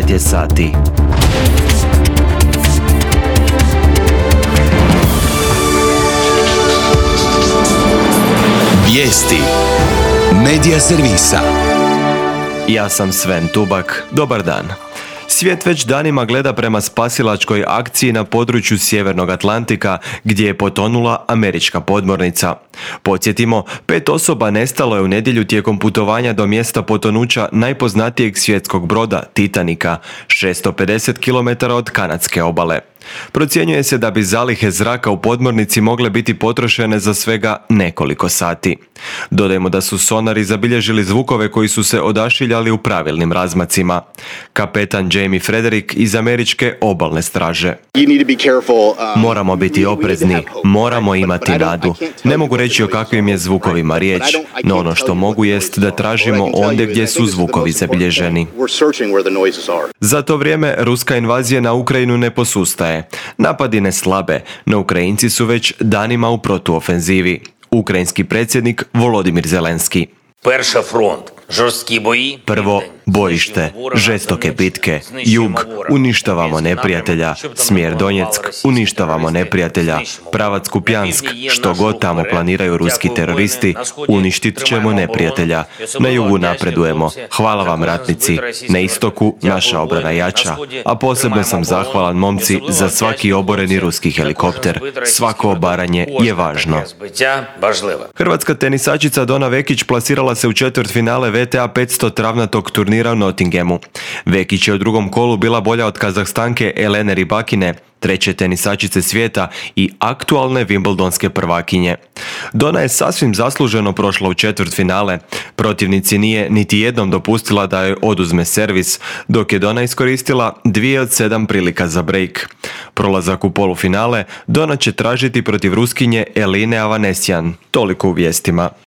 9 je sati. Vijesti Medija servisa. Ja sam Sven Tubak, dobar dan. Svijet već danima gleda prema spasilačkoj akciji na području Sjevernog Atlantika gdje je potonula američka podmornica. Podsjetimo, 5 osoba nestalo je u nedjelju tijekom putovanja do mjesta potonuća najpoznatijeg svjetskog broda Titanika, 650 km od kanadske obale. Procjenjuje se da bi zalihe zraka u podmornici mogle biti potrošene za svega nekoliko sati. Dodajmo da su sonari zabilježili zvukove koji su se odašiljali u pravilnim razmacima. Kapetan Jamie Frederick iz američke obalne straže. Moramo biti oprezni, moramo imati nadu. Ne mogu reći o kakvim je zvukovima riječ, no ono što mogu jest da tražimo ondje gdje su zvukovi zabilježeni. Za to vrijeme ruska invazija na Ukrajinu ne posustaje. Napadi ne slabe, no Ukrajinci su već danima u protuofenzivi. Ukrajinski predsjednik Volodimir Zelenski. Prvo, bojište, žestoke bitke, jug, uništavamo neprijatelja, smjer Donjeck, uništavamo neprijatelja, pravac Kupjansk, što god tamo planiraju ruski teroristi, uništit ćemo neprijatelja. Na jugu napredujemo, hvala vam ratnici, na istoku naša obrana jača, a posebno sam zahvalan momci za svaki oboreni ruski helikopter, svako obaranje je važno. Hrvatska tenisačica Dona Vekić plasirala se u četvrtfinale VTA 500 travnatog turnira u Nottinghamu. Vekić je u drugom kolu bila bolja od Kazahstanke Elene Rybakine, treće tenisačice svijeta i aktualne Wimbledonske prvakinje. Dona je sasvim zasluženo prošla u četvrtfinale. Protivnici nije niti jednom dopustila da joj oduzme servis, dok je Dona iskoristila 2 od 7 prilika za break. Prolazak u polufinale Dona će tražiti protiv Ruskinje Eline Avanesyan. Toliko u vijestima.